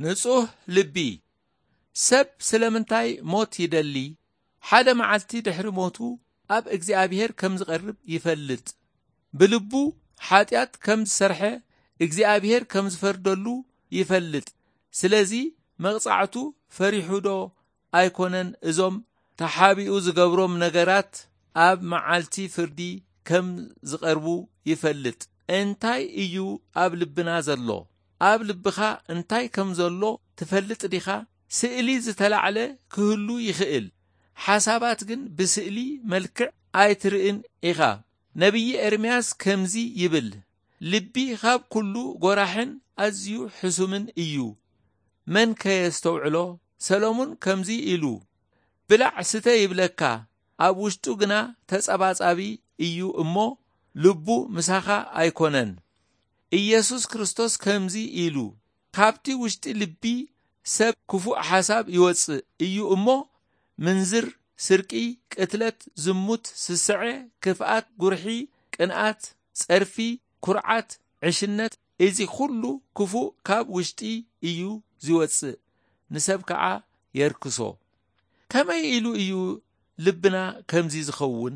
ንጹህ ልቢ። ሰብ ስለምንታይ ሞት ይደሊ? ሓደ መዓልቲ ድሕሪ ሞቱ ኣብ እግዚኣብሔር ከም ዝቐርብ ይፈልጥ። ብልቡ ሓጢኣት ከም ዝሰርሐ እግዚኣብሔር ከም ዝፈርደሉ ይፈልጥ። ስለዚ መቕጻዕቱ ፈሪሑ ዶ ኣይኮነን? እዞም ተሓቢኡ ዝገብሮም ነገራት ኣብ መዓልቲ ፍርዲ ከም ዝቐርቡ ይፈልጥ። እንታይ እዩ ኣብ ልብና ዘሎ? ኣብ ልብኻ እንታይ ከም ዘሎ ትፈልጥ ዲኻ? ስእሊ ዝተላዕለ ክህሉ ይኽእል። ሓሳባት ግን ብስእሊ መልክዕ ኣይትርእን ኢኻ። ነቢይ ኤርምያስ ከምዚ ይብል፣ ልቢ ካብ ኩሉ ጎራሕን ኣዝዩ ሕሱምን እዩ። መን ከየስተውዕሎ? ሰሎሙን ከምዚ ኢሉ፣ ብላዕ ስተ ይብለካ፣ ኣብ ውሽጡ ግና ተጸባጻቢ እዩ እሞ፣ ልቡ ምሳኻ ኣይኮነን። ኢየሱስ ክርስቶስ ከምዚ ኢሉ፣ ካብቲ ውሽጢ ልቢ ሰብ ክፉእ ሓሳብ ይወጽእ እዩ እሞ፣ ምንዝር፣ ስርቂ፣ ቅትለት፣ ዝሙት፣ ስስዐ፣ ክፍኣት፣ ጉርሒ፣ ቅንኣት፣ ጸርፊ፣ ኩርዓት፣ ዕሽነት፣ እዚ ኩሉ ክፉእ ካብ ውሽጢ እዩ ዝወጽእ፣ ንሰብ ከኣ የርክሶ። ከመይ ኢሉ እዩ ልብና ከምዚ ዝኸውን?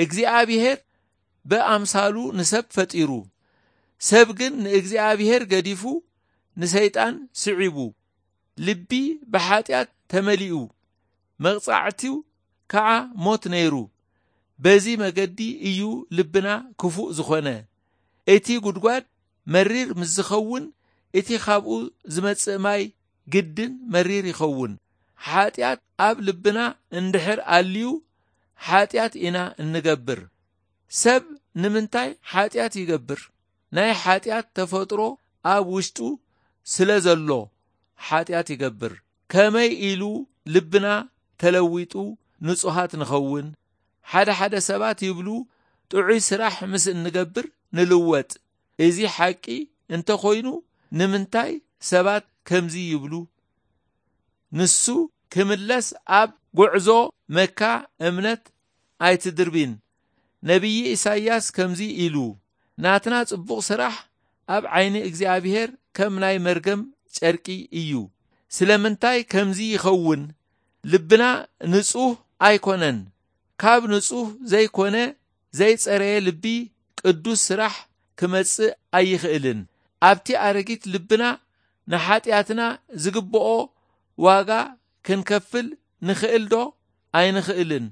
እግዚኣብሔር ብኣምሳሉ ንሰብ ፈጢሩ። ሰብ ግን ንእግዚኣብሔር ገዲፉ ንሰይጣን ስዒቡ። ልቢ ብሓጢኣት ተመሊኡ፣ መቕጻዕቲው ከኣ ሞት ነይሩ። በዚ መገዲ እዩ ልብና ክፉእ ዝኾነ። እቲ ጉድጓድ መሪር ምስ ዝኸውን፣ እቲ ካብኡ ዝመጽእ ማይ ግድን መሪር ይኸውን። ሓጢኣት ኣብ ልብና እንድሕር ኣልዩ፣ ሓጢኣት ኢና እንገብር። ሰብ ንምንታይ ሓጢኣት ይገብር? ናይ ሓጢኣት ተፈጥሮ ኣብ ውሽጡ ስለ ዘሎ ሓጢኣት ይገብር። ከመይ ኢሉ ልብና ተለዊጡ ንጹሃት ንኸውን? ሓደ ሓደ ሰባት ይብሉ፣ ጥዑይ ስራሕ ምስ እንገብር ንልወጥ። እዚ ሓቂ እንተኾይኑ፣ ንምንታይ ሰባት ከምዚ ይብሉ? ንሱ ክምለስ ኣብ ጉዕዞ መካ እምነት ኣይትድርቢን። ነቢይ ኢሳይያስ ከምዚ ኢሉ፣ ናትና ጽቡቕ ስራሕ ኣብ ዓይኒ እግዚኣብሔር ከም ናይ መርገም ጨርቂ እዩ። ስለምንታይ ከምዚ ይኸውን? ልብና ንጹህ ኣይኮነን። ካብ ንጹህ ዘይኮነ ዘይጸረየ ልቢ ቅዱስ ስራሕ ክመጽእ ኣይኽእልን። ኣብቲ ኣረጊት ልብና ንሓጢኣትና ዝግብኦ ዋጋ ክንከፍል ንኽእል ዶ? ኣይንኽእልን።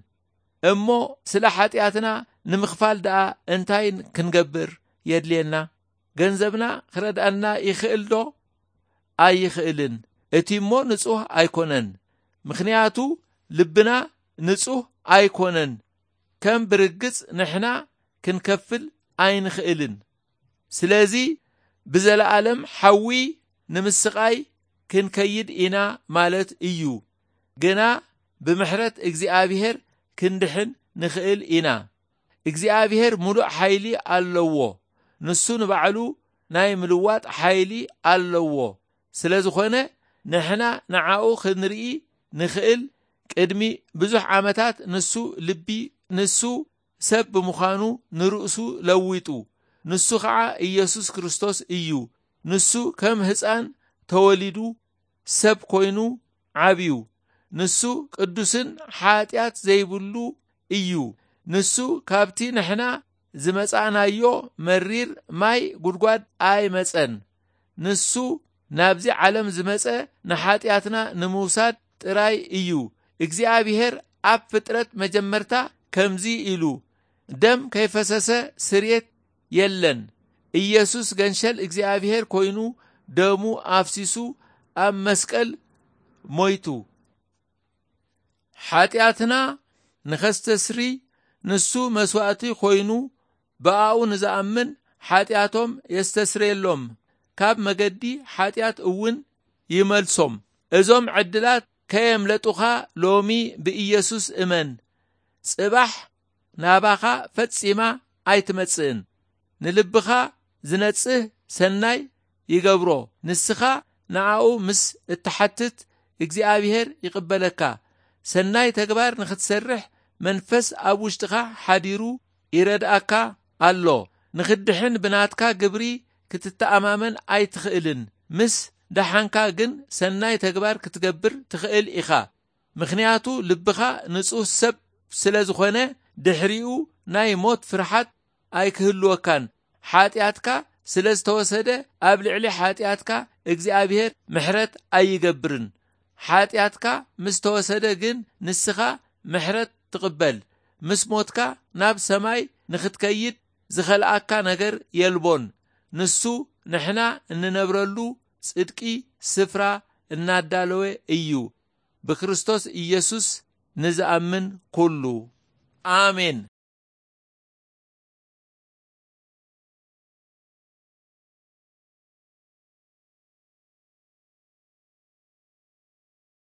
እሞ ስለ ሓጢኣትና ንምኽፋል ደኣ እንታይ ክንገብር የድልየና? ገንዘብና ክረድኣና ይኽእል ዶ? ኣይኽእልን። እቲ እሞ ንጹህ ኣይኮነን። ምኽንያቱ ልብና ንጹህ ኣይኮነን። ከም ብርግጽ ንሕና ክንከፍል ኣይንኽእልን። ስለዚ ብዘለኣለም ሓዊ ንምስቓይ ክንከይድ ኢና ማለት እዩ። ግና ብምሕረት እግዚኣብሔር ክንድሕን ንኽእል ኢና። እግዚኣብሔር ምሉእ ሓይሊ ኣለዎ። ንሱ ንባዕሉ ናይ ምልዋጥ ሓይሊ ኣለዎ። ስለ ዝኾነ ንሕና ንዓኡ ክንርኢ ንኽእል። ቅድሚ ብዙሕ ዓመታት ንሱ ልቢ፣ ንሱ ሰብ ብምዃኑ ንርእሱ ለዊጡ። ንሱ ኸዓ ኢየሱስ ክርስቶስ እዩ። ንሱ ከም ህፃን ተወሊዱ ሰብ ኮይኑ ዓብዩ። ንሱ ቅዱስን ሓጢኣት ዘይብሉ እዩ። ንሱ ካብቲ ንሕና ዝመጻእናዮ መሪር ማይ ጉድጓድ ኣይመጸን። ንሱ ናብዚ ዓለም ዝመጸ ንሓጢኣትና ንምውሳድ ጥራይ እዩ። እግዚኣብሔር ኣብ ፍጥረት መጀመርታ ከምዚ ኢሉ፣ ደም ከይፈሰሰ ስርየት የለን። ኢየሱስ ገንሸል እግዚኣብሔር ኮይኑ ደሙ ኣፍሲሱ ኣብ መስቀል ሞይቱ። ሓጢኣትና ንኸስተስሪ ንሱ መስዋእቲ ኮይኑ ብኣኡ ንዝኣምን ሓጢኣቶም የስተስርየሎም፣ ካብ መገዲ ሓጢኣት እውን ይመልሶም። እዞም ዕድላት ከየምለጡኻ ሎሚ ብኢየሱስ እመን። ጽባሕ ናባኻ ፈጺማ ኣይትመጽእን። ንልብኻ ዝነጽህ ሰናይ ይገብሮ። ንስኻ ንኣኡ ምስ እትሓትት እግዚኣብሔር ይቕበለካ። ሰናይ ተግባር ንኽትሰርሕ መንፈስ ኣብ ውሽጥኻ ሓዲሩ ይረድኣካ ኣሎ። ንኽድሕን ብናትካ ግብሪ ክትተኣማመን ኣይትኽእልን። ምስ ደሓንካ ግን ሰናይ ተግባር ክትገብር ትኽእል ኢኻ። ምኽንያቱ ልብኻ ንጹህ ሰብ ስለ ዝኾነ፣ ድሕሪኡ ናይ ሞት ፍርሓት ኣይክህልወካን። ሓጢኣትካ ስለ ዝተወሰደ፣ ኣብ ልዕሊ ሓጢኣትካ እግዚኣብሔር ምሕረት ኣይገብርን። ሓጢኣትካ ምስ ተወሰደ ግን ንስኻ ምሕረት ትቕበል። ምስ ሞትካ ናብ ሰማይ ንኽትከይድ ዝኸልኣካ ነገር የልቦን። ንሱ ንሕና እንነብረሉ ጽድቂ ስፍራ እናዳለወ እዩ። ብክርስቶስ ኢየሱስ ንዝኣምን ኩሉ። ኣሜን።